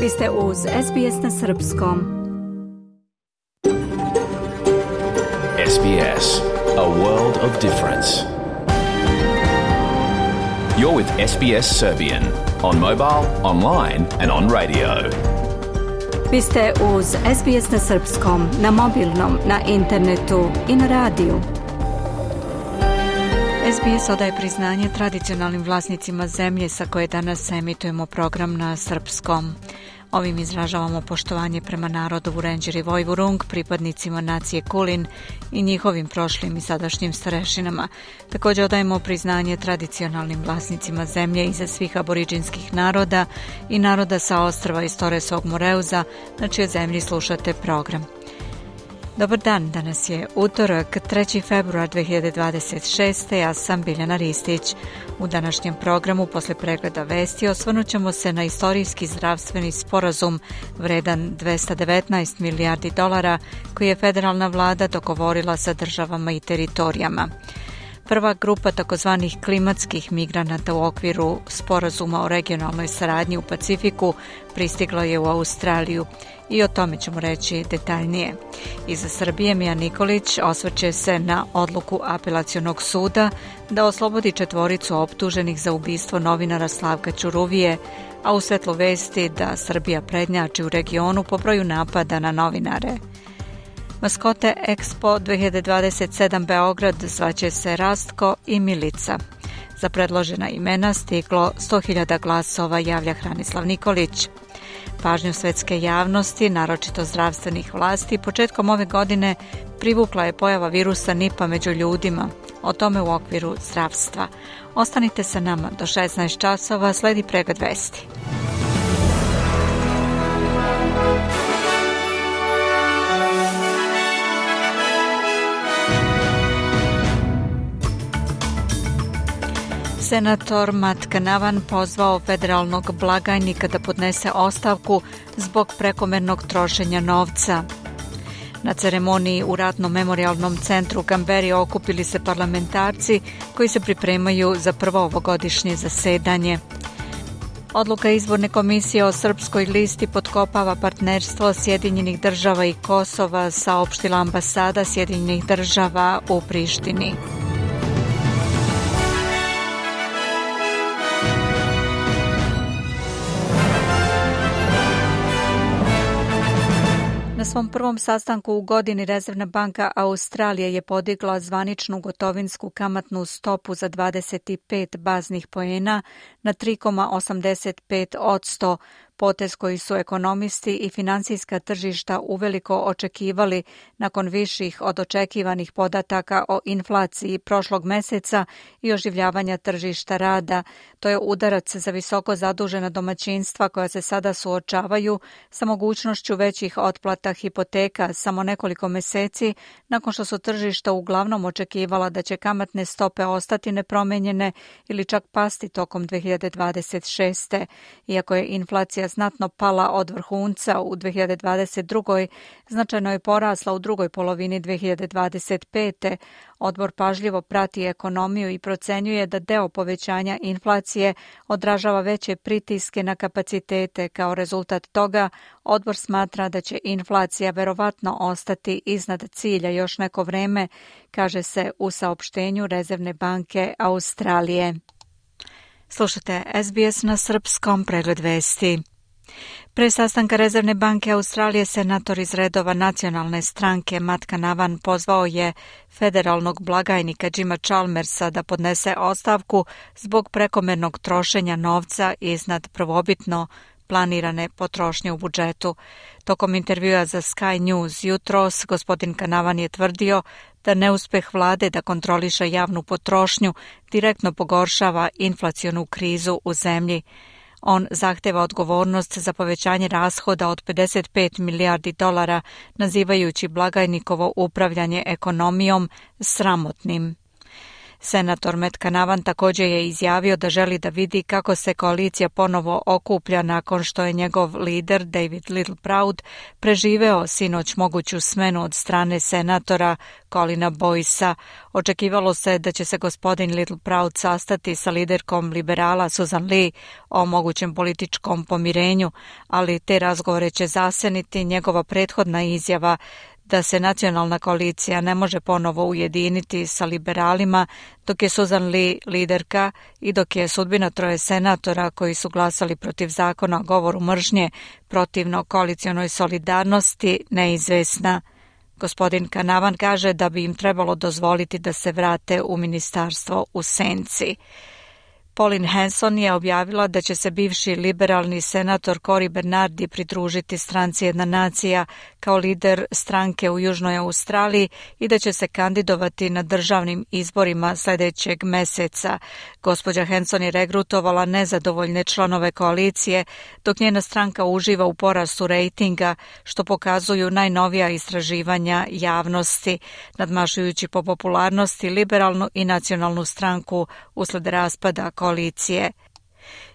Vi ste uz SBS na srpskom. SBS, a world of difference. You're with SBS Serbian on mobile, online and on radio. Vi ste uz SBS na srpskom, na mobilnom, na internetu i na radiju. SBS odaje priznanje tradicionalnim vlasnicima zemlje sa koje danas emitujemo program na srpskom. Ovim izražavamo poštovanje prema narodu Vurenđer i Vojvurung, pripadnicima nacije Kulin i njihovim prošlim i sadašnjim starešinama. Također odajemo priznanje tradicionalnim vlasnicima zemlje iza svih aboriđinskih naroda i naroda sa ostrva iz Toresovog Moreuza, na čijoj zemlji slušate program. Dobar dan, danas je utorak, 3. februar 2026. Ja sam Biljana Ristić. U današnjem programu, posle pregleda vesti, osvrnut ćemo se na istorijski zdravstveni sporazum vredan $219 milijardi koji je federalna vlada dogovorila sa državama i teritorijama. Prva grupa takozvanih klimatskih migranata u okviru sporazuma o regionalnoj saradnji u Pacifiku pristigla je u Australiju i o tome ćemo reći detaljnije. Iza Srbije Mija Nikolić osvrće se na odluku apelacionog suda da oslobodi 4 optuženih za ubistvo novinara Slavka Ćuruvije, a u svetlu vesti da Srbija prednjači u regionu po broju napada na novinare. Maskote Expo 2027 Beograd zvaće se Rastko i Milica. Za predložena imena stiglo 100.000 glasova, javlja Hranislav Nikolić. Pažnju svetske javnosti, naročito zdravstvenih vlasti, početkom ove godine privukla je pojava virusa Nipa među ljudima. O tome u okviru zdravstva. Ostanite sa nama do 16 časova, sledi pregled vesti. Senator Matt Canavan pozvao federalnog blagajnika da podnese ostavku zbog prekomernog trošenja novca. Na ceremoniji u Ratno-memorijalnom centru u Kamberi okupili se parlamentarci koji se pripremaju za prvo ovogodišnje zasedanje. Odluka izborne komisije o srpskoj listi potkopava partnerstvo Sjedinjenih država i Kosova, saopštila ambasada Sjedinjenih država u Prištini. Na svom prvom sastanku u godini Rezervna banka Australije je podigla zvaničnu gotovinsku kamatnu stopu za 25 baznih poena na 3,85%, potez koji su ekonomisti i finansijska tržišta uveliko očekivali nakon viših od očekivanih podataka o inflaciji prošlog meseca i oživljavanja tržišta rada. To je udarac za visoko zadužena domaćinstva koja se sada suočavaju sa mogućnošću većih otplata hipoteka samo nekoliko meseci nakon što su tržišta uglavnom očekivala da će kamatne stope ostati nepromenjene ili čak pasti tokom 2026. Iako je inflacija znatno pala od vrhunca u 2022. značajno je porasla u drugoj polovini 2025. Odbor pažljivo prati ekonomiju i procenjuje da deo povećanja inflacije odražava veće pritiske na kapacitete. Kao rezultat toga, odbor smatra da će inflacija verovatno ostati iznad cilja još neko vreme, kaže se u saopštenju Rezervne banke Australije. Slušate SBS na srpskom, pregled vesti. Pre sastanka Rezervne banke Australije senator iz redova nacionalne stranke Matt Canavan pozvao je federalnog blagajnika Jima Chalmersa da podnese ostavku zbog prekomernog trošenja novca iznad prvobitno planirane potrošnje u budžetu. Tokom intervjua za Sky News jutros, gospodin Canavan je tvrdio da neuspeh vlade da kontroliše javnu potrošnju direktno pogoršava inflacionu krizu u zemlji. On zahteva odgovornost za povećanje rashoda od $55 milijardi, nazivajući blagajnikovo upravljanje ekonomijom sramotnim. Senator Matt Canavan također je izjavio da želi da vidi kako se koalicija ponovo okuplja nakon što je njegov lider David Littleproud preživeo sinoć moguću smenu od strane senatora Colina Boycea. Očekivalo se da će se gospodin Littleproud sastati sa liderkom liberala Susan Lee o mogućem političkom pomirenju, ali te razgovore će zaseniti njegova prethodna izjava da se nacionalna koalicija ne može ponovo ujediniti sa liberalima dok je Susan Lee liderka i dok je sudbina 3 senatora koji su glasali protiv zakona o govoru mržnje protivno koalicionoj solidarnosti neizvesna. Gospodin Canavan kaže da bi im trebalo dozvoliti da se vrate u ministarstvo u senci. Pauline Hanson je objavila da će se bivši liberalni senator Cory Bernardi pridružiti stranci Jedna nacija kao lider stranke u Južnoj Australiji i da će se kandidovati na državnim izborima sljedećeg meseca. Gospođa Hanson je regrutovala nezadovoljne članove koalicije, dok njena stranka uživa u porastu rejtinga, što pokazuju najnovija istraživanja javnosti, nadmašujući po popularnosti liberalnu i nacionalnu stranku usled raspada koalicije.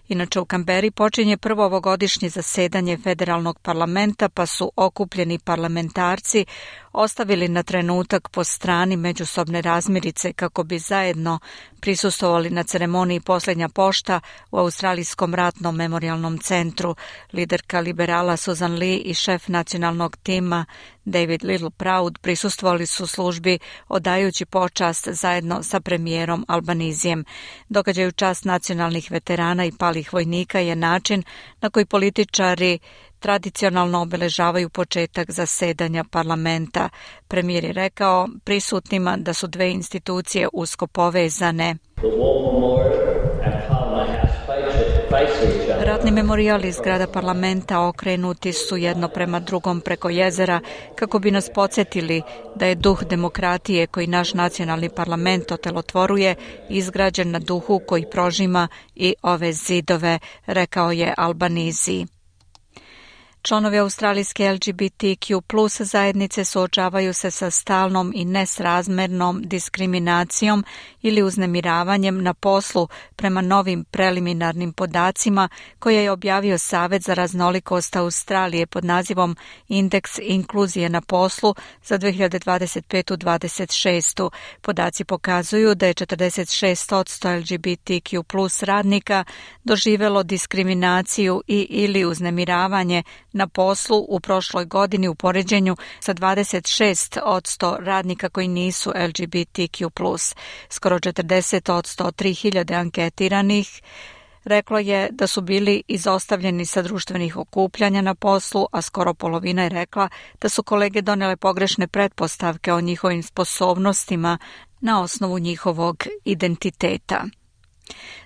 Inače, u Kamberi počinje prvo ovogodišnje zasedanje federalnog parlamenta, pa su okupljeni parlamentarci ostavili na trenutak po strani međusobne razmirice kako bi zajedno prisustvovali na ceremoniji Posljednja pošta u Australijskom ratnom memorijalnom centru. Liderka liberala Susan Lee i šef nacionalnog tima David Littleproud prisustvovali su službi odajući počast zajedno sa premijerom Albanizijem. Događaj u čast nacionalnih veterana i palih vojnika je način na koji političari tradicionalno obeležavaju početak zasedanja parlamenta. Premijer je rekao prisutnima da su 2 institucije usko povezane. Ratni memorijali iz zgrada parlamenta okrenuti su jedno prema drugom preko jezera kako bi nas podsjetili da je duh demokratije koji naš nacionalni parlament otelotvoruje izgrađen na duhu koji prožima i ove zidove, rekao je Albanizi. Članovi australijske LGBTQ+ zajednice suočavaju se sa stalnom i nesrazmernom diskriminacijom ili uznemiravanjem na poslu prema novim preliminarnim podacima koje je objavio Savet za raznolikost Australije pod nazivom Indeks inkluzije na poslu za 2025-26. Podaci pokazuju da je 46% LGBTQ+ radnika doživjelo diskriminaciju i ili uznemiravanje na poslu u prošloj godini u poređenju sa 26% radnika koji nisu LGBTQ+. Skoro 40% od 3000 anketiranih reklo je da su bili izostavljeni sa društvenih okupljanja na poslu, a skoro polovina je rekla da su kolege donele pogrešne pretpostavke o njihovim sposobnostima na osnovu njihovog identiteta.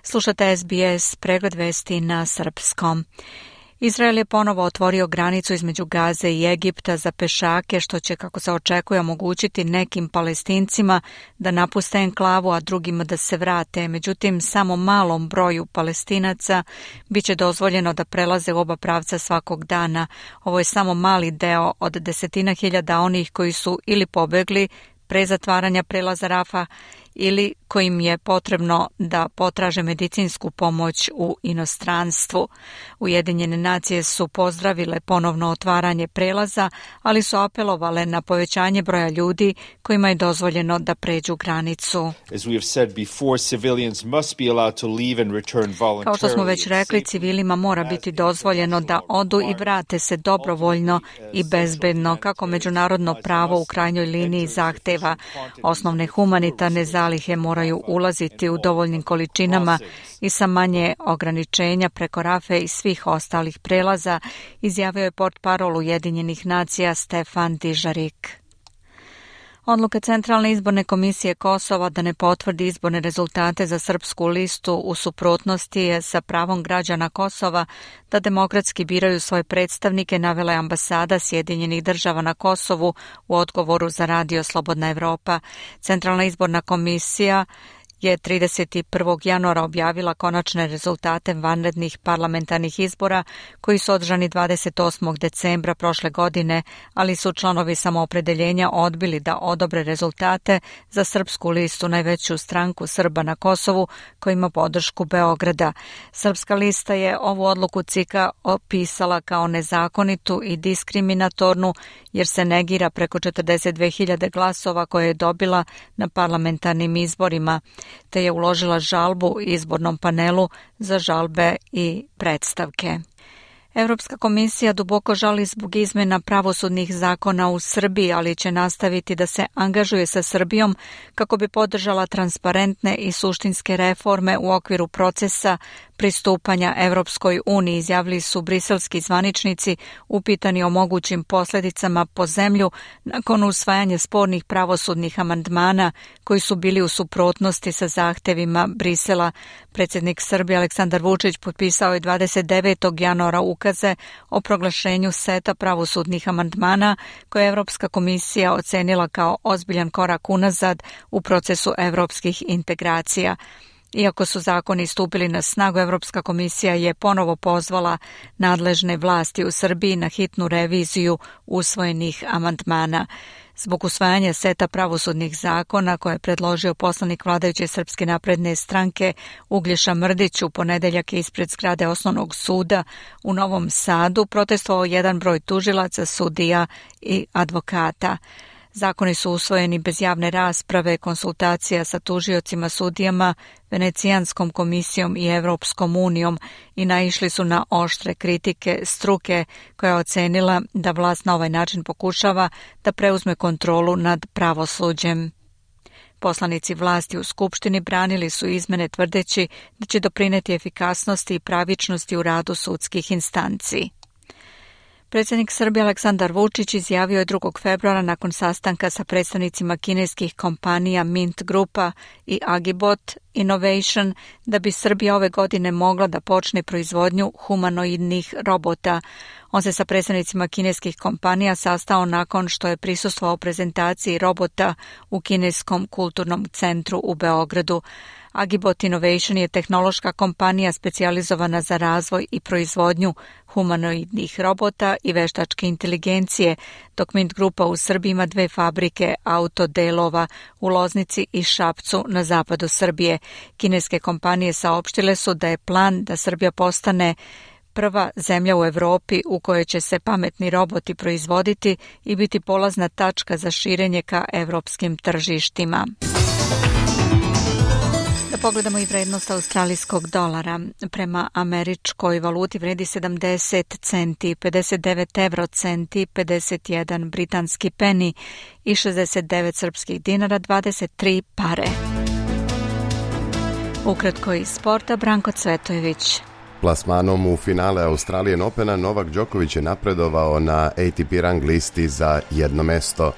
Slušate SBS, pregled vesti na srpskom. Izrael je ponovo otvorio granicu između Gaze i Egipta za pešake, što će, kako se očekuje, omogućiti nekim Palestincima da napuste enklavu, a drugima da se vrate. Međutim, samo malom broju Palestinaca biće dozvoljeno da prelaze u oba pravca svakog dana. Ovo je samo mali deo od 10.000 onih koji su ili pobegli pre zatvaranja prelaza Rafa ili kojim je potrebno da potraže medicinsku pomoć u inostranstvu. Ujedinjene nacije su pozdravile ponovno otvaranje prelaza, ali su apelovale na povećanje broja ljudi kojima je dozvoljeno da pređu granicu. Kao što smo već rekli, civilima mora biti dozvoljeno da odu i vrate se dobrovoljno i bezbedno, kako međunarodno pravo u krajnjoj liniji zahteva. Osnovne humanitarne zalihe moraju ulaziti u dovoljnim količinama i sa manje ograničenja preko Rafe i svih ostalih prelaza, izjavio je portparol Ujedinjenih nacija Stefan Dižarik. Odluka Centralne izborne komisije Kosova da ne potvrdi izborne rezultate za srpsku listu u suprotnosti je sa pravom građana Kosova da demokratski biraju svoje predstavnike, navela je ambasada Sjedinjenih država na Kosovu u odgovoru za radio Slobodna Evropa. Centralna izborna komisija je 31. januara objavila konačne rezultate vanrednih parlamentarnih izbora koji su održani 28. decembra prošle godine, ali su članovi Samoopredeljenja odbili da odobre rezultate za Srpsku listu, najveću stranku Srba na Kosovu koja ima podršku Beograda. Srpska lista je ovu odluku CIK-a opisala kao nezakonitu i diskriminatornu jer se negira preko 42.000 glasova koje je dobila na parlamentarnim izborima, te je uložila žalbu izbornom panelu za žalbe i predstavke. Evropska komisija duboko žali zbog izmjena pravosudnih zakona u Srbiji, ali će nastaviti da se angažuje sa Srbijom kako bi podržala transparentne i suštinske reforme u okviru procesa pristupanja Evropskoj uniji, izjavili su briselski zvaničnici upitani o mogućim posljedicama po zemlju nakon usvajanja spornih pravosudnih amandmana koji su bili u suprotnosti sa zahtevima Brisela. Predsjednik Srbije Aleksandar Vučić potpisao je 29. januara ukaze o proglašenju seta pravosudnih amandmana koje je Evropska komisija ocenila kao ozbiljan korak unazad u procesu evropskih integracija. Iako su zakoni stupili na snagu, Evropska komisija je ponovo pozvala nadležne vlasti u Srbiji na hitnu reviziju usvojenih amandmana. Zbog usvajanja seta pravosudnih zakona koje je predložio poslanik vladajuće Srpske napredne stranke Uglješa Mrdić u ponedeljak ispred zgrade Osnovnog suda u Novom Sadu protestovao jedan broj tužilaca, sudija i advokata. Zakoni su usvojeni bez javne rasprave, konsultacija sa tužiocima, sudijama, Venecijanskom komisijom i Evropskom unijom i naišli su na oštre kritike struke koja je ocenila da vlast na ovaj način pokušava da preuzme kontrolu nad pravosuđem. Poslanici vlasti u Skupštini branili su izmene tvrdeći da će doprineti efikasnosti i pravičnosti u radu sudskih instanci. Predsjednik Srbije Aleksandar Vučić izjavio je 2. februara nakon sastanka sa predstavnicima kineskih kompanija Mint Grupa i Agibot Innovation da bi Srbija ove godine mogla da počne proizvodnju humanoidnih robota. On se sa predstavnicima kineskih kompanija sastao nakon što je prisustvovao prezentaciji robota u Kineskom kulturnom centru u Beogradu. Agibot Innovation je tehnološka kompanija specijalizovana za razvoj i proizvodnju humanoidnih robota i veštačke inteligencije, dok Mint Grupa u Srbiji ima 2 fabrike autodelova u Loznici i Šapcu na zapadu Srbije. Kineske kompanije saopštile su da je plan da Srbija postane prva zemlja u Evropi u kojoj će se pametni roboti proizvoditi i biti polazna tačka za širenje ka evropskim tržištima. Da pogledamo i vrednost australijskog dolara. Prema američkoj valuti vredi 70 centi, 59 eurocenti, 51 britanski peni i 69 srpskih dinara, 23 pare. Ukratko iz sporta, Branko Cvetojević. Plasmanom u finale Australian Opena Novak Đoković je napredovao na ATP rang listi za jedno mesto.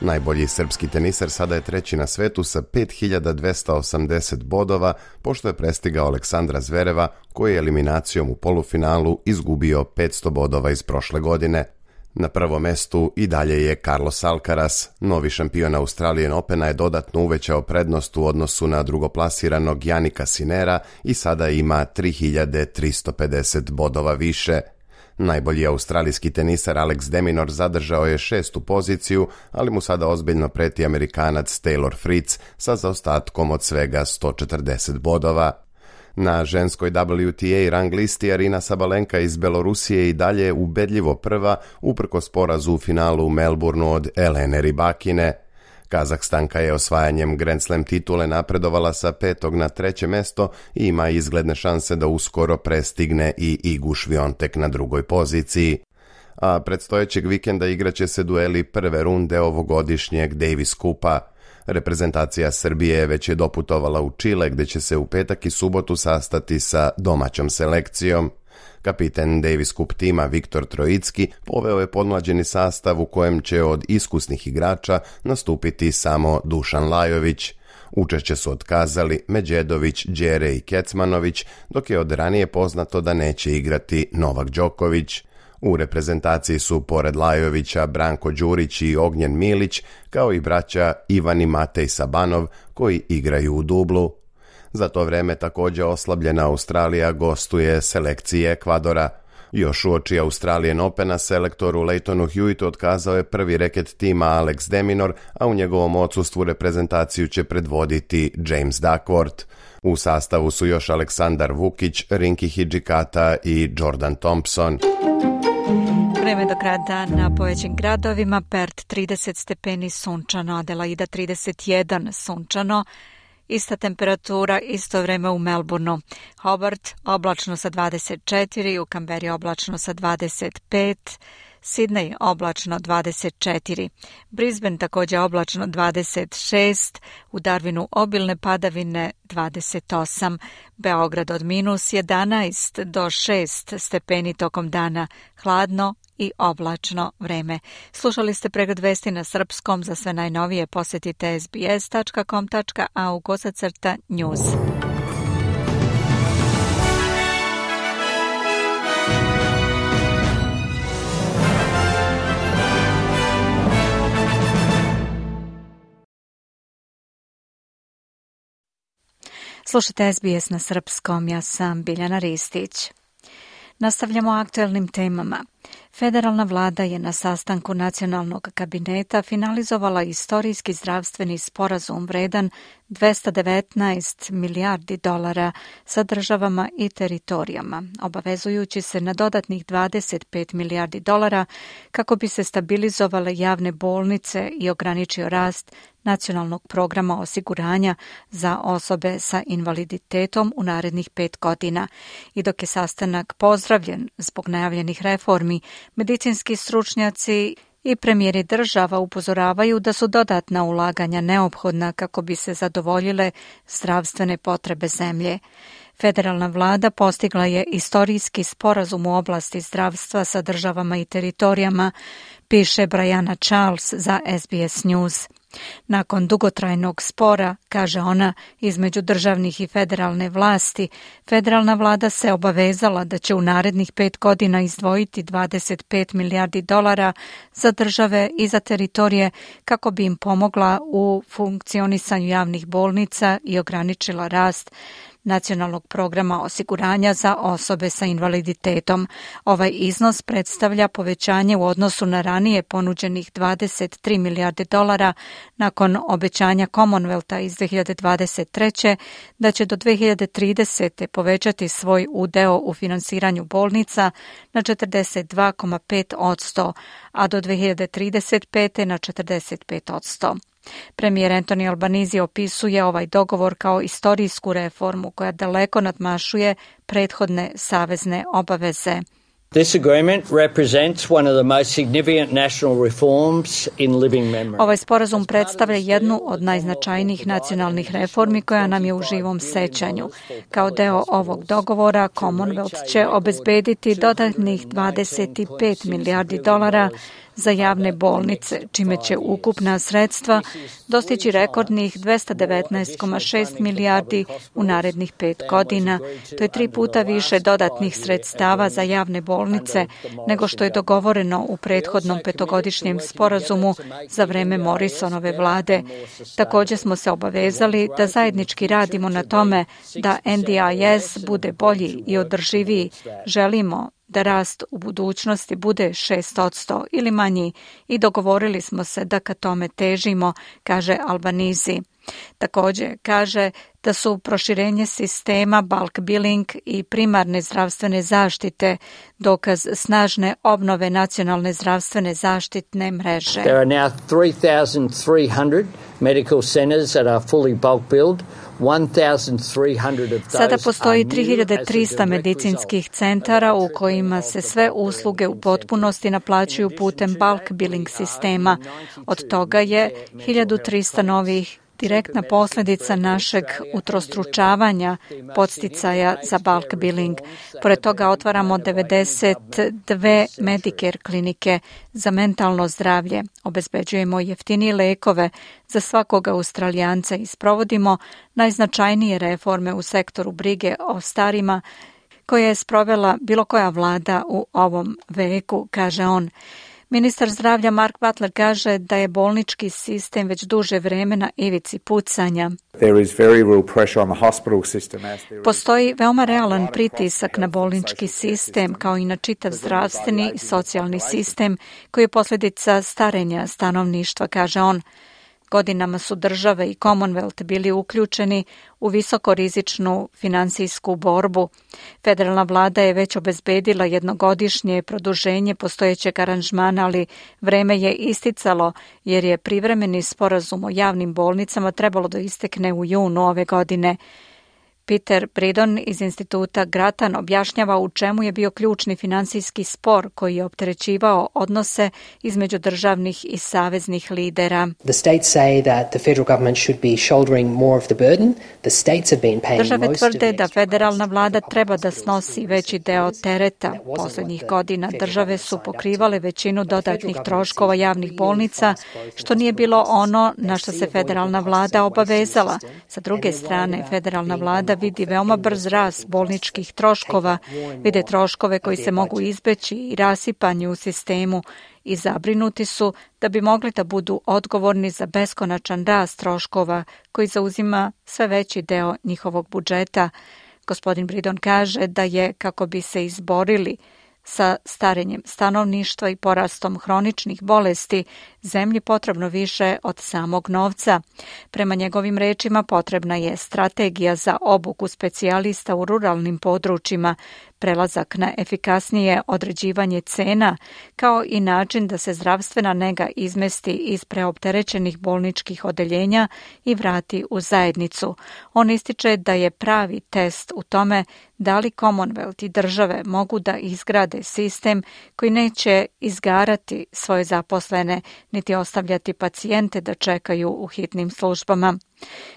Najbolji srpski tenisar sada je treći na svetu sa 5280 bodova, pošto je prestigao Aleksandra Zvereva, koji je eliminacijom u polufinalu izgubio 500 bodova iz prošle godine. Na prvom mestu i dalje je Carlos Alcaraz. Novi šampion Australian Opena je dodatno uvećao prednost u odnosu na drugoplasiranog Janika Sinera i sada ima 3350 bodova više. Najbolji australijski tenisar Alex de Minaur zadržao je 6. poziciju, ali mu sada ozbiljno preti Amerikanac Taylor Fritz sa zaostatkom od svega 140 bodova. Na ženskoj WTA rang listi Arina Sabalenka iz Belorusije i dalje ubedljivo prva, uprkos porazu u finalu u Melbourneu od Elene Rybakine. Kazahstanka je osvajanjem Grand Slam titule napredovala sa 5. na 3. mesto i ima izgledne šanse da uskoro prestigne i Igu Šviontek na 2. poziciji. A predstojećeg vikenda igraće se dueli prve runde ovogodišnjeg Davis Kupa. Reprezentacija Srbije već je doputovala u Čile, gde će se u petak i subotu sastati sa domaćom selekcijom. Kapiten Davis Cup tima Viktor Trojicki poveo je podmlađeni sastav u kojem će od iskusnih igrača nastupiti samo Dušan Lajović. Učešće su otkazali Međedović, Đere i Kecmanović, dok je od ranije poznato da neće igrati Novak Đoković. U reprezentaciji su pored Lajovića Branko Đurić i Ognjen Milić, kao i braća Ivan i Matej Sabanov, koji igraju u dublu. Za to vreme također oslabljena Australija gostuje selekciji Ekvadora. Još uoči Australian Opena selektoru Leightonu Hewitu otkazao je prvi reket tima Alex de Minaur, a u njegovom odsustvu reprezentaciju će predvoditi James Duckworth. U sastavu su još Aleksandar Vukić, Rinki Hidžikata i Jordan Thompson. Vreme do kraja dana po većim gradovima: Perth 30 stepeni sunčano, Adelaida 31 sunčano, ista temperatura, isto vreme u Melbourneu. Hobart oblačno sa 24, u Canberri oblačno sa 25, Sydney oblačno 24, Brisbane također oblačno 26, u Darwinu obilne padavine 28, Beograd od -11 do 6 stepeni tokom dana, hladno i oblačno vreme. Slušali ste pregled vesti na srpskom. Za sve najnovije posjetite sbs.com.au/news. Slušajte SBS na srpskom, ja sam Biljana Ristić. Nastavljamo aktuelnim temama. Federalna vlada je na sastanku nacionalnog kabineta finalizovala istorijski zdravstveni sporazum vredan $219 milijardi sa državama i teritorijama, obavezujući se na dodatnih $25 milijardi kako bi se stabilizovale javne bolnice i ograničio rast nacionalnog programa osiguranja za osobe sa invaliditetom u narednih 5 godina. I dok je sastanak pozdravljen zbog najavljenih reformi, medicinski stručnjaci i premijeri država upozoravaju da su dodatna ulaganja neophodna kako bi se zadovoljile zdravstvene potrebe zemlje. Federalna vlada postigla je istorijski sporazum u oblasti zdravstva sa državama i teritorijama, piše Brianna Charles za SBS News. Nakon dugotrajnog spora, kaže ona, između državnih i federalne vlasti, federalna vlada se obavezala da će u narednih 5 godina izdvojiti $25 milijardi za države i za teritorije kako bi im pomogla u funkcionisanju javnih bolnica i ograničila rast nacionalnog programa osiguranja za osobe sa invaliditetom. Ovaj iznos predstavlja povećanje u odnosu na ranije ponuđenih $23 milijardi nakon obećanja Commonwealtha iz 2023. da će do 2030. povećati svoj udeo u finansiranju bolnica na 42,5%, a do 2035. na 45%. Premijer Anthony Albanese opisuje ovaj dogovor kao istorijsku reformu koja daleko nadmašuje prethodne savezne obaveze. This agreement represents one of the most significant national reforms in living memory. Ovaj sporazum predstavlja jednu od najznačajnijih nacionalnih reformi koja nam je u živom sećanju. Kao deo ovog dogovora, Commonwealth će obezbediti dodatnih $25 milijardi za javne bolnice, čime će ukupna sredstva dostići rekordnih $219,6 milijardi u narednih 5 godina. To je 3 puta više dodatnih sredstava za javne bolnice nego što je dogovoreno u prethodnom 5-godišnjem sporazumu za vreme Morrisonove vlade. Također smo se obavezali da zajednički radimo na tome da NDIS bude bolji i održiviji. Želimo da rast u budućnosti bude 6% ili manji i dogovorili smo se da ka tome težimo, kaže Albanese. Također kaže da su proširenje sistema bulk billing i primarne zdravstvene zaštite dokaz snažne obnove nacionalne zdravstvene zaštitne mreže. There are now 3,300 medical centers that are fully bulk billed. Sada postoji 3300 medicinskih centara u kojima se sve usluge u potpunosti naplaćuju putem bulk billing sistema. Od toga je 1300 novih direktna posljedica našeg utrostručavanja podsticaja za bulk billing. Pored toga otvaramo 92 Medicare klinike za mentalno zdravlje, obezbeđujemo jeftinije lekove za svakog Australijanca i sprovodimo najznačajnije reforme u sektoru brige o starima koje je sprovela bilo koja vlada u ovom veku, kaže on. Ministar zdravlja Mark Butler kaže da je bolnički sistem već duže vreme na ivici pucanja. Postoji veoma realan pritisak na bolnički sistem, kao i na čitav zdravstveni i socijalni sistem, koji je posljedica starenja stanovništva, kaže on. Godinama su države i Commonwealth bili uključeni u visokorizičnu finansijsku borbu. Federalna vlada je već obezbedila jednogodišnje produženje postojećeg aranžmana, ali vreme je isticalo jer je privremeni sporazum o javnim bolnicama trebalo da istekne u junu ove godine. Peter Bridon iz instituta Grattan objašnjava u čemu je bio ključni finansijski spor koji je opterećivao odnose između državnih i saveznih lidera. Države tvrde da federalna vlada treba da snosi veći deo tereta. Poslednjih godina države su pokrivale većinu dodatnih troškova javnih bolnica, što nije bilo ono na što se federalna vlada obavezala. Sa druge strane, federalna vlada vidi veoma brz rast bolničkih troškova, vide troškove koji se mogu izbeći i rasipanje u sistemu i zabrinuti su da bi mogli da budu odgovorni za beskonačan rast troškova koji zauzima sve veći deo njihovog budžeta. Gospodin Bridon kaže da je, kako bi se izborili sa starenjem stanovništva i porastom hroničnih bolesti, zemlji potrebno više od samog novca. Prema njegovim rečima potrebna je strategija za obuku specijalista u ruralnim područjima, prelazak na efikasnije određivanje cena, kao i način da se zdravstvena nega izmesti iz preopterećenih bolničkih odeljenja i vrati u zajednicu. On ističe da je pravi test u tome da li Commonwealth i države mogu da izgrade sistem koji neće izgarati svoje zaposlene, niti ostavljati pacijente da čekaju u hitnim službama.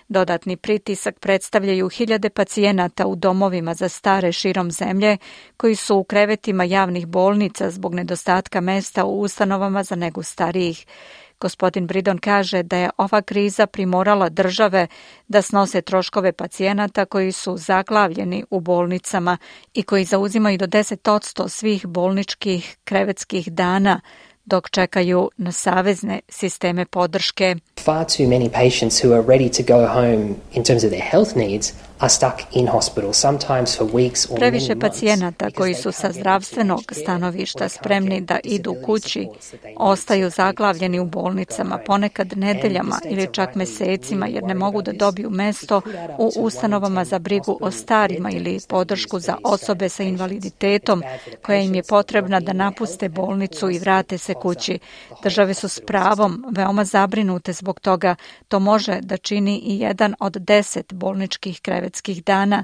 Dodatni pritisak predstavljaju hiljade pacijenata u domovima za stare širom zemlje koji su u krevetima javnih bolnica zbog nedostatka mesta u ustanovama za negu starijih. Gospodin Bridon kaže da je ova kriza primorala države da snose troškove pacijenata koji su zaglavljeni u bolnicama i koji zauzimaju do 10% svih bolničkih krevetskih dana, dok čekaju na savezne sisteme podrške. Far too many patients who are ready to go home in terms of their health needs are stuck in hospital, sometimes for weeks or many months. Previše pacijenata koji su sa zdravstvenog stanovišta spremni da idu kući, ostaju zaglavljeni u bolnicama, ponekad nedeljama ili čak mesecima, jer ne mogu da dobiju mesto u ustanovama za brigu o starima ili podršku za osobe sa invaliditetom, koja im je potrebna da napuste bolnicu i vrate se kući. Države su s pravom veoma zabrinute zbog toga. To može da čini i 1 od 10 bolničkih krevetskih dana.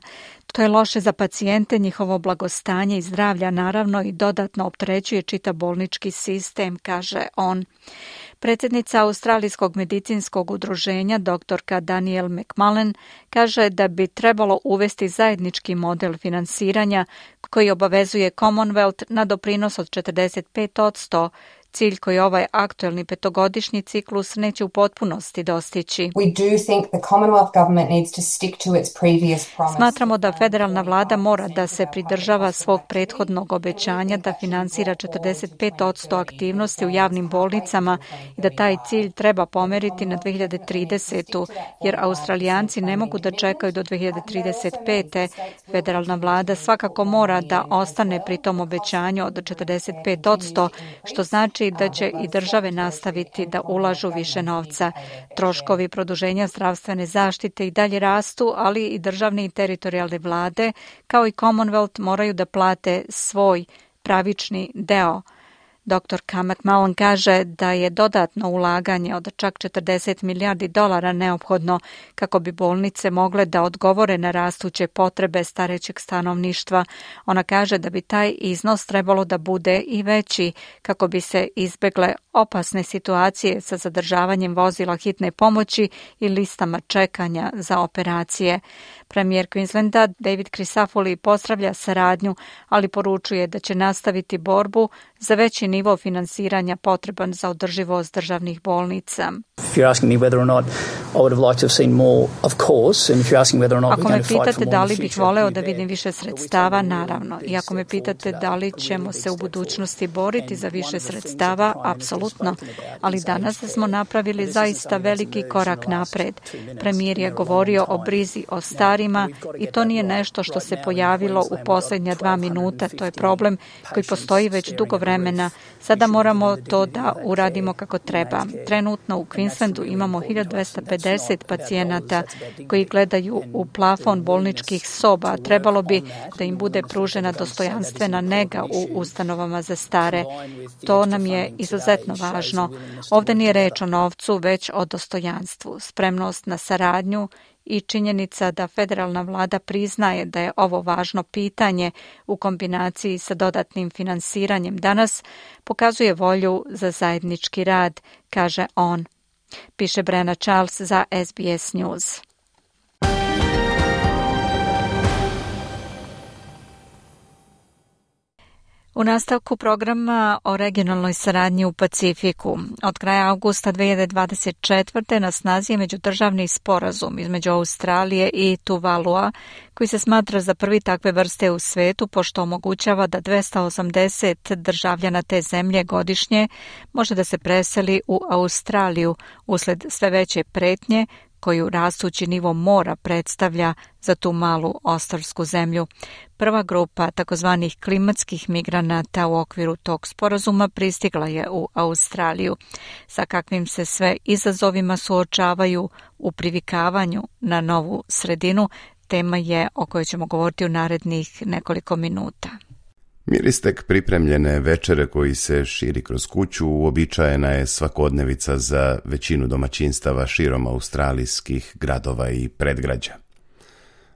To je loše za pacijente, njihovo blagostanje i zdravlja, naravno, i dodatno opterećuje čitav bolnički sistem, kaže on. Predsjednica Australijskog medicinskog udruženja, doktorka Danielle McMullen, kaže da bi trebalo uvesti zajednički model finansiranja koji obavezuje Commonwealth na doprinos od 45%, cilj koji ovaj aktuelni petogodišnji ciklus neće u potpunosti dostići. Smatramo da federalna vlada mora da se pridržava svog prethodnog obećanja da finansira 45% aktivnosti u javnim bolnicama i da taj cilj treba pomeriti na 2030. jer Australijanci ne mogu da čekaju do 2035. Federalna vlada svakako mora da ostane pri tom obećanju od 45%, što znači da će i države nastaviti da ulažu više novca. Troškovi produženja zdravstvene zaštite i dalje rastu, ali i državne i teritorijalne vlade, kao i Commonwealth, moraju da plate svoj pravični deo. Dr. McMullen kaže da je dodatno ulaganje od čak $40 milijardi neophodno kako bi bolnice mogle da odgovore na rastuće potrebe starećeg stanovništva. Ona kaže da bi taj iznos trebalo da bude i veći kako bi se izbegle opasne situacije sa zadržavanjem vozila hitne pomoći i listama čekanja za operacije. Premijer Queenslanda David Crisafulli pozdravlja saradnju, ali poručuje da će nastaviti borbu za veći nivo finansiranja potreban za održivost državnih bolnica. If you're asking me whether or not I would have liked to have seen more, of course, and if you're asking whether or not we're going to fight for more in the future. Ako me pitate da li bih voleo da vidim više sredstava, naravno. I ako me pitate da li ćemo se u budućnosti boriti za više sredstava, apsolutno. Ali danas smo napravili zaista veliki korak napred. Premijer je govorio o brizi o starima i to nije nešto što se pojavilo u posljednja 2 minuta. To je problem koji postoji već dugo vremena. Sada moramo to da uradimo kako treba. Trenutno u Queenslandu imamo 1250 pacijenata koji gledaju u plafon bolničkih soba. Trebalo bi da im bude pružena dostojanstvena nega u ustanovama za stare. To nam je izuzetno važno. Ovdje nije reč o novcu, već o dostojanstvu, spremnost na saradnju i činjenica da federalna vlada priznaje da je ovo važno pitanje u kombinaciji sa dodatnim finansiranjem danas pokazuje volju za zajednički rad, kaže on. Piše Brenna Charles za SBS News. U nastavku programa o regionalnoj saradnji u Pacifiku. Od kraja avgusta 2024. na snazi je međudržavni sporazum između Australije i Tuvalua, koji se smatra za prvi takve vrste u svetu, pošto omogućava da 280 državljana te zemlje godišnje može da se preseli u Australiju usled sve veće pretnje koju rastući nivo mora predstavlja za tu malu ostrvsku zemlju. Prva grupa takozvanih klimatskih migranata u okviru tog sporazuma pristigla je u Australiju. Sa kakvim se sve izazovima suočavaju u privikavanju na novu sredinu, tema je o kojoj ćemo govoriti u narednih nekoliko minuta. Miris tek pripremljene večere koji se širi kroz kuću uobičajena je svakodnevica za većinu domaćinstava širom australijskih gradova i predgrađa.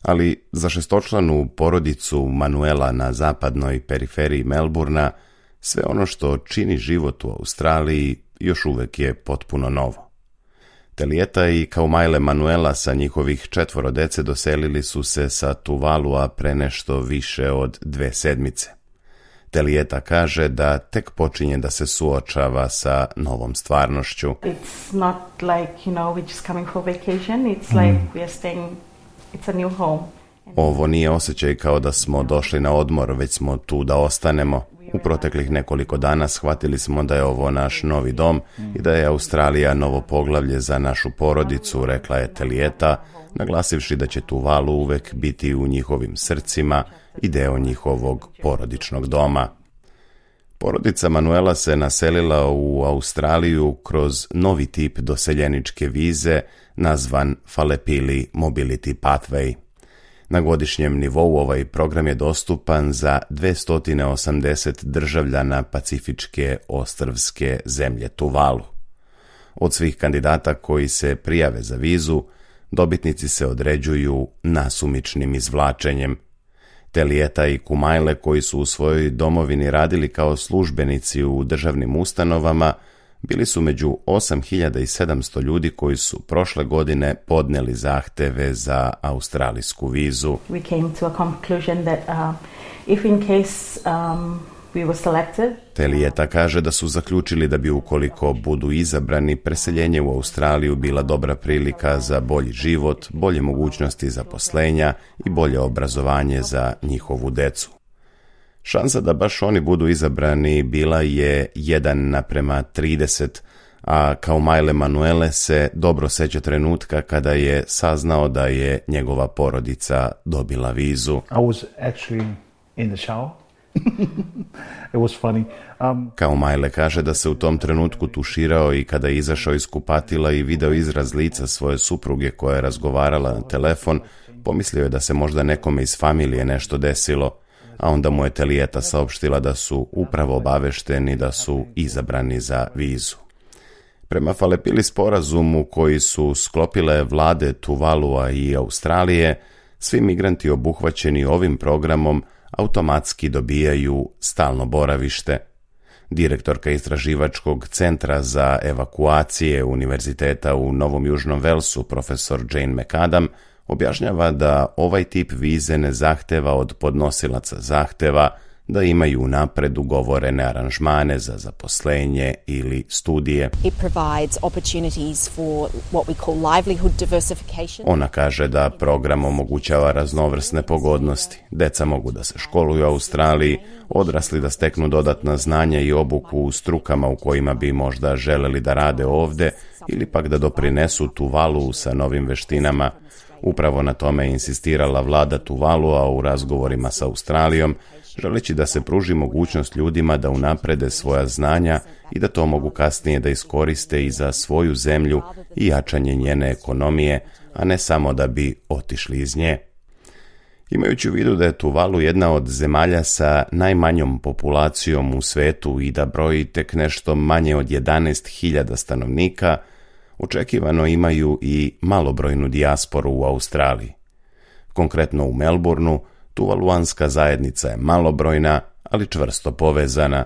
Ali za šestočlanu porodicu Manuela na zapadnoj periferiji Melburna sve ono što čini život u Australiji još uvek je potpuno novo. Telijeta i Kaumajle Manuela sa njihovih 4 dece doselili su se sa Tuvalua pre nešto više od 2 sedmice. Telijeta kaže da tek počinje da se suočava sa novom stvarnošću. It's not like, we're just coming for vacation. It's like we are staying, it's a new home. Ovo nije osjećaj kao da smo došli na odmor, već smo tu da ostanemo. U proteklih nekoliko dana shvatili smo da je ovo naš novi dom i da je Australija novo poglavlje za našu porodicu, rekla je Telijeta, naglasivši da će Tuvalu uvek biti u njihovim srcima i deo njihovog porodičnog doma. Porodica Manuela se naselila u Australiju kroz novi tip doseljeničke vize nazvan Falepili Mobility Pathway. Na godišnjem nivou ovaj program je dostupan za 280 državljana pacifičke ostrvske zemlje Tuvalu. Od svih kandidata koji se prijave za vizu, dobitnici se određuju nasumičnim izvlačenjem. Telijeta i Kumajle, koji su u svojoj domovini radili kao službenici u državnim ustanovama, bili su među 8700 ljudi koji su prošle godine podneli zahteve za australijsku vizu. We came to a conclusion that if in case we were selected. Telijeta kaže da su zaključili da bi ukoliko budu izabrani, preseljenje u Australiju bila dobra prilika za bolji život, bolje mogućnosti zaposlenja i bolje obrazovanje za njihovu decu. Šansa da baš oni budu izabrani bila je 1:30, a Kaumajle Manuele se dobro seća trenutka kada je saznao da je njegova porodica dobila vizu. I was actually in the shower. It was funny. Kaumajle kaže da se u tom trenutku tuširao i kada je izašao iz kupatila i video izraz lica svoje supruge koja je razgovarala na telefon, pomislio je da se možda nekome iz familije nešto desilo, a onda mu je Telijeta saopštila da su upravo obavešteni da su izabrani za vizu. Prema Falepili sporazumu koji su sklopile vlade Tuvalua i Australije, svi migranti obuhvaćeni ovim programom automatski dobijaju stalno boravište. Direktorka istraživačkog centra za evakuacije Univerziteta u Novom Južnom Velsu, profesor Jane McAdam, objašnjava da ovaj tip vize ne zahteva od podnosilaca zahteva da imaju napred ugovorene aranžmane za zaposlenje ili studije. Ona kaže da program omogućava raznovrsne pogodnosti. Deca mogu da se školuju u Australiji, odrasli da steknu dodatna znanja i obuku u strukama u kojima bi možda želeli da rade ovde ili pak da doprinesu Tuvalu sa novim veštinama. Upravo na tome je insistirala vlada Tuvalua u razgovorima sa Australijom, želeći da se pruži mogućnost ljudima da unaprede svoja znanja i da to mogu kasnije da iskoriste i za svoju zemlju i jačanje njene ekonomije, a ne samo da bi otišli iz nje. Imajući u vidu da je Tuvalu jedna od zemalja sa najmanjom populacijom u svetu i da broji tek nešto manje od 11.000 stanovnika, očekivano imaju i malobrojnu dijasporu u Australiji. Konkretno u Melbourneu, tuvaluanska zajednica je malobrojna, ali čvrsto povezana.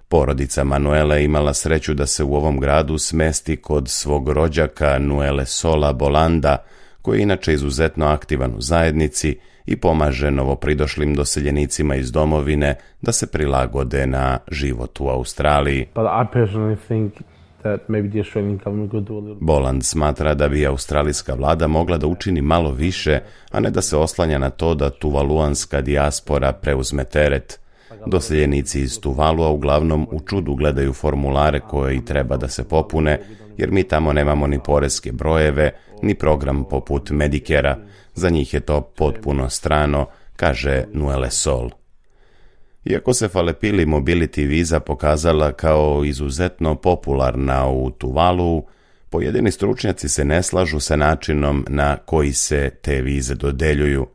Porodica Manuele imala sreću da se u ovom gradu smesti kod svog rođaka Nuele Sola Bolanda, koji je inače izuzetno aktivan u zajednici i pomaže novopridošlim doseljenicima iz domovine da se prilagode na život u Australiji. Boland smatra da bi australijska vlada mogla da učini malo više, a ne da se oslanja na to da tuvaluanska dijaspora preuzme teret. Doseljenici iz Tuvalua uglavnom u čudu gledaju formulare koje i treba da se popune, jer mi tamo nemamo ni poreske brojeve, ni program poput Medicare-a. Za njih je to potpuno strano, kaže Nuele Sol. Iako se Falepili Mobility viza pokazala kao izuzetno popularna u Tuvalu, pojedini stručnjaci se ne slažu sa načinom na koji se te vize dodeljuju.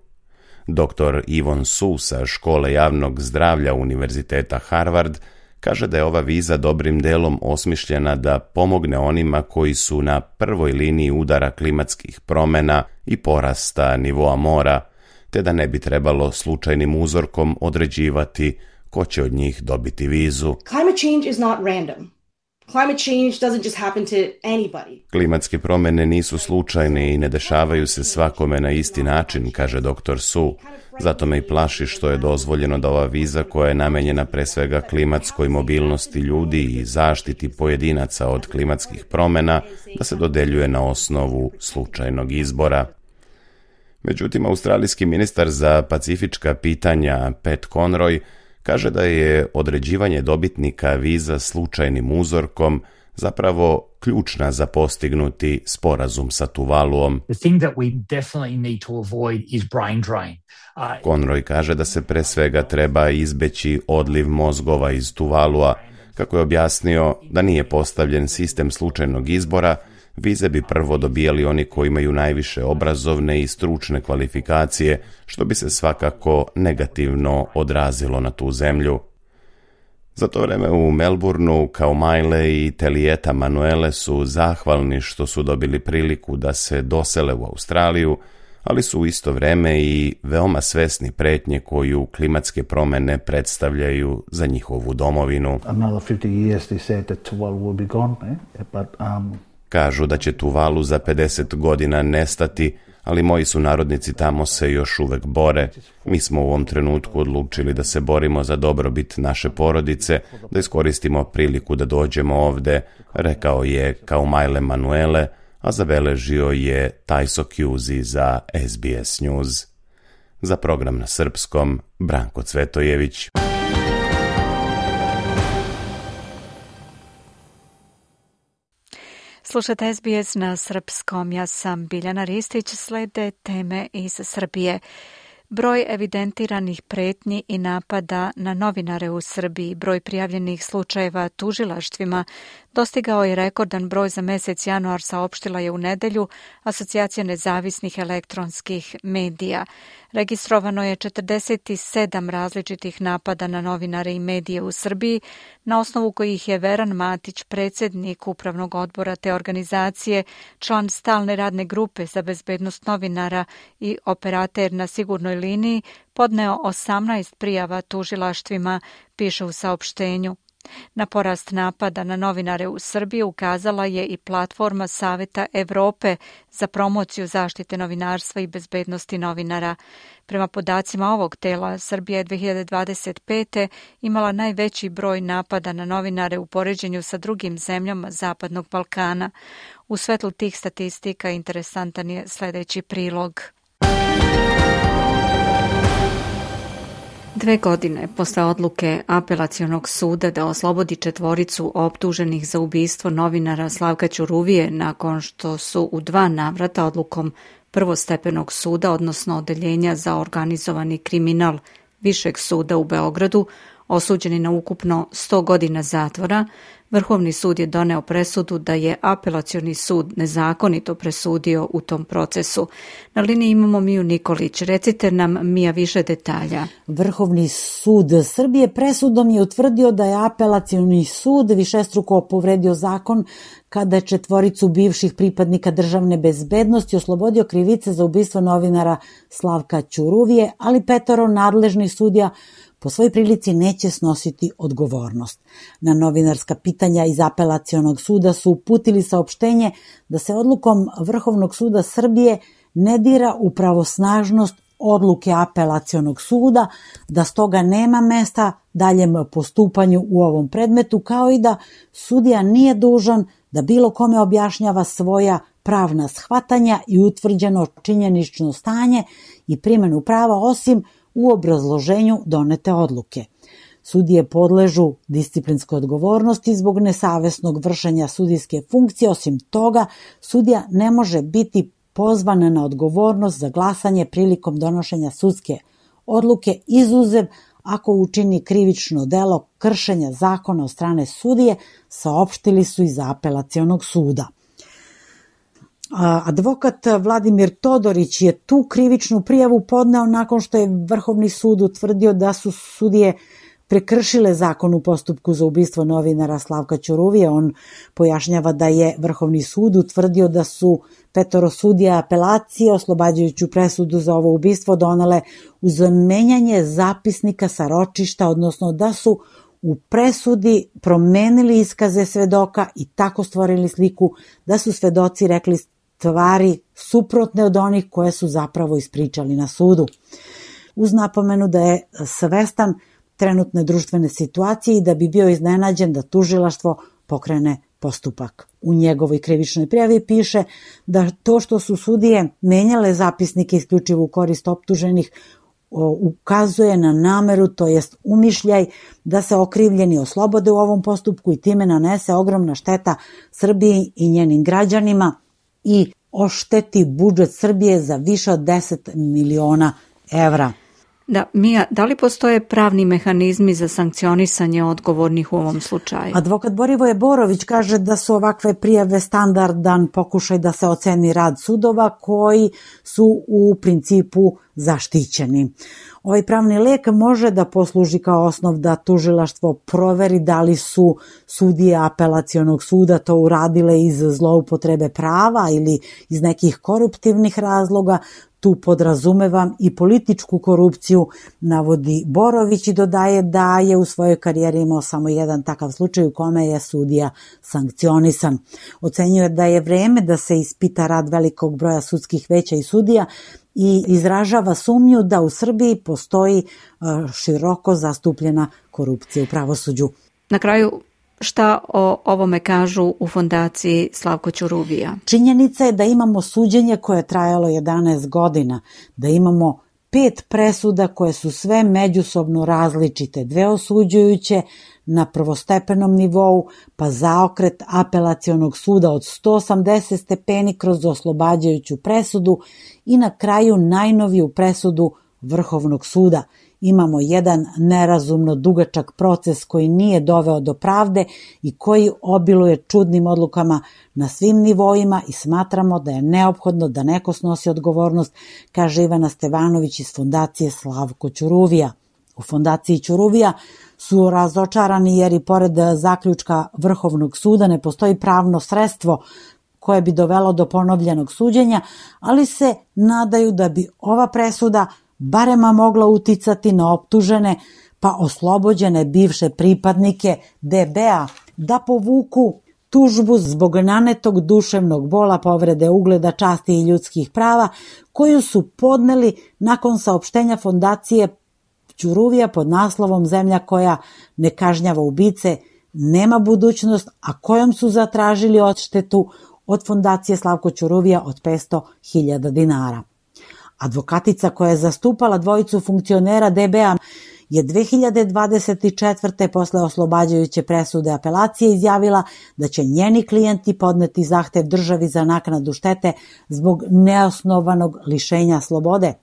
Dr. Yvonne Su sa škole javnog zdravlja Univerziteta Harvard kaže da je ova viza dobrim delom osmišljena da pomogne onima koji su na prvoj liniji udara klimatskih promjena i porasta nivoa mora, te da ne bi trebalo slučajnim uzorkom određivati ko će od njih dobiti vizu. Climate change is not random. Climate change doesn't just happen to anybody. Klimatske promjene nisu slučajne i ne dešavaju se svakome na isti način, kaže dr. Su. Zato me i plaši što je dozvoljeno da ova viza, koja je namenjena pre svega klimatskoj mobilnosti ljudi i zaštiti pojedinaca od klimatskih promjena, da se dodeljuje na osnovu slučajnog izbora. Međutim, australijski ministar za pacifička pitanja Pat Conroy kaže da je određivanje dobitnika viza slučajnim uzorkom zapravo ključna za postignuti sporazum sa Tuvaluom. Conroy kaže da se pre svega treba izbeći odliv mozgova iz Tuvalua. Kako je objasnio da nije postavljen sistem slučajnog izbora, vize bi prvo dobijali oni koji imaju najviše obrazovne i stručne kvalifikacije, što bi se svakako negativno odrazilo na tu zemlju. Za to vreme u Melbourneu Kaumajle i Telieta Manuele su zahvalni što su dobili priliku da se dosele u Australiju, ali su u isto vreme i veoma svesni pretnje koju klimatske promjene predstavljaju za njihovu domovinu. Kažu da će Tuvalu za 50 godina nestati, ali moji sunarodnici tamo se još uvek bore. Mi smo u ovom trenutku odlučili da se borimo za dobrobit naše porodice, da iskoristimo priliku da dođemo ovde, rekao je Kaumajle Manuele, a zabeležio je Tajso Kjuzi za SBS News. Za program na srpskom, Branko Cvetojević. Slušajte SBS na srpskom, ja sam Biljana Ristić, slede teme iz Srbije. Broj evidentiranih pretnji i napada na novinare u Srbiji, broj prijavljenih slučajeva tužilaštvima, dostigao je rekordan broj za mesec januar, saopštila je u nedelju Asocijacija nezavisnih elektronskih medija. Registrovano je 47 različitih napada na novinare i medije u Srbiji, na osnovu kojih je Veran Matić, predsjednik upravnog odbora te organizacije, član stalne radne grupe za bezbednost novinara i operater na sigurnoj liniji, podneo 18 prijava tužilaštvima, piše u saopštenju. Na porast napada na novinare u Srbiji ukazala je i platforma Saveta Evrope za promociju zaštite novinarstva i bezbednosti novinara. Prema podacima ovog tela, Srbija je 2025. imala najveći broj napada na novinare u poređenju sa drugim zemljama Zapadnog Balkana. U svetlu tih statistika interesantan je sljedeći prilog. 2 godine posle odluke Apelacionog suda da oslobodi 4 optuženih za ubistvo novinara Slavka Ćuruvije nakon što su u 2 navrata odlukom prvostepenog suda, odnosno Odeljenja za organizovani kriminal Višeg suda u Beogradu, osuđeni na ukupno 100 godina zatvora, Vrhovni sud je doneo presudu da je Apelacioni sud nezakonito presudio u tom procesu. Na liniji imamo Miju Nikolić. Recite nam, Mija, više detalja. Vrhovni sud Srbije presudom je utvrdio da je Apelacioni sud višestruko povredio zakon kada je 4 bivših pripadnika državne bezbednosti oslobodio krivice za ubistvo novinara Slavka Ćuruvije, ali 5 nadležnih sudija po svoj prilici neće snositi odgovornost. Na novinarska pitanja iz Apelacionog suda su uputili saopštenje da se odlukom Vrhovnog suda Srbije ne dira u pravosnažnost odluke Apelacionog suda, da stoga nema mesta daljem postupanju u ovom predmetu, kao i da sudija nije dužan da bilo kome objašnjava svoja pravna shvatanja i utvrđeno činjenično stanje i primjenu prava, osim u obrazloženju donete odluke. Sudije podležu disciplinskoj odgovornosti zbog nesavesnog vršenja sudijske funkcije. Osim toga, sudija ne može biti pozvan na odgovornost za glasanje prilikom donošenja sudske odluke, izuzev ako učini krivično delo kršenja zakona od strane sudije, saopštili su iz Apelacionog suda. Advokat Vladimir Todorić je tu krivičnu prijavu podneo nakon što je Vrhovni sud utvrdio da su sudije prekršile zakon u postupku za ubistvo novinara Slavka Ćuruvije. On pojašnjava da je Vrhovni sud utvrdio da su 5 sudija apelacije oslobađajuću presudu za ovo ubistvo donele uz menjanje zapisnika sa ročišta, odnosno da su u presudi promenili iskaze svedoka i tako stvorili sliku da su svedoci rekli stvari suprotne od onih koje su zapravo ispričali na sudu. Uz napomenu da je svestan trenutne društvene situacije i da bi bio iznenađen da tužilaštvo pokrene postupak. U njegovoj krivičnoj prijavi piše da to što su sudije menjale zapisnike isključivo u korist optuženih ukazuje na nameru, to jest umišljaj da se okrivljeni oslobode u ovom postupku i time nanese ogromna šteta Srbiji i njenim građanima i ošteti budžet Srbije za više od 10 miliona evra. Da, Mija, da li postoje pravni mehanizmi za sankcionisanje odgovornih u ovom slučaju? Advokat Borivoje Borović kaže da su ovakve prijave standardan pokušaj da se oceni rad sudova koji su u principu zaštićeni. Ovaj pravni lek može da posluži kao osnov da tužilaštvo proveri da li su sudije Apelacionog suda to uradile iz zloupotrebe prava ili iz nekih koruptivnih razloga. Tu podrazumevam i političku korupciju, navodi Borović i dodaje da je u svojoj karijeri imao samo jedan takav slučaj u kome je sudija sankcionisan. Ocenjuje da je vreme da se ispita rad velikog broja sudskih veća i sudija i izražava sumnju da u Srbiji postoji široko zastupljena korupcija u pravosuđu. Na kraju, šta o ovome kažu u fondaciji Slavko Ćuruvija? Činjenica je da imamo suđenje koje je trajalo 11 godina, da imamo 5 presuda koje su sve međusobno različite, 2 osuđujuće na prvostepenom nivou, pa zaokret Apelacionog suda od 180 stepeni kroz oslobađajuću presudu i na kraju najnoviju presudu Vrhovnog suda. Imamo jedan nerazumno dugačak proces koji nije doveo do pravde i koji obiluje čudnim odlukama na svim nivoima i smatramo da je neophodno da neko snosi odgovornost, kaže Ivana Stevanović iz fondacije Slavko Ćuruvija. U fondaciji Ćuruvija su razočarani jer i pored zaključka Vrhovnog suda ne postoji pravno sredstvo koje bi dovelo do ponovljenog suđenja, ali se nadaju da bi ova presuda barem mogla uticati na optužene, pa oslobođene bivše pripadnike DB-a da povuku tužbu zbog nanetog duševnog bola, povrede ugleda, časti i ljudskih prava, koju su podneli nakon saopštenja fondacije Ćuruvija pod naslovom Zemlja koja ne kažnjava ubice nema budućnost, a kojom su zatražili odštetu od fondacije Slavko Ćuruvija od 500.000 dinara. Advokatica koja je zastupala dvojicu funkcionera DB-a je 2024. posle oslobađajuće presude apelacije izjavila da će njeni klijenti podneti zahtev državi za naknadu štete zbog neosnovanog lišenja slobode.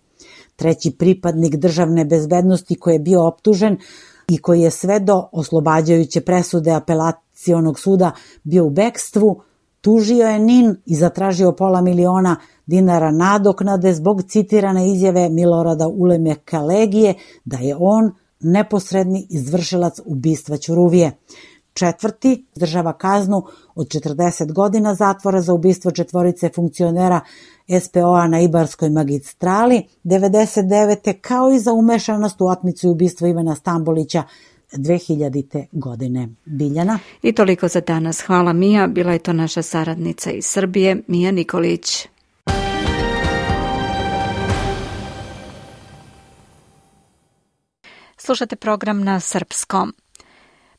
Treći pripadnik državne bezbednosti koji je bio optužen i koji je sve do oslobađajuće presude apelacionog suda bio u bekstvu, tužio je NIN i zatražio $500.000 dinara nadoknade zbog citirane izjave Milorada Ulemeka Legije da je on neposredni izvršilac ubistva Ćuruvije. Četvrti izdržava kaznu od 40 godina zatvora za ubistvo četvorice funkcionera SPO-a na Ibarskoj magistrali 99. kao i za umešanost u otmicu i ubistvo Ivana Stambolića 2000. godine. Biljana. I toliko za danas. Hvala Mija. Bila je to naša saradnica iz Srbije, Mija Nikolić. Slušate program na srpskom.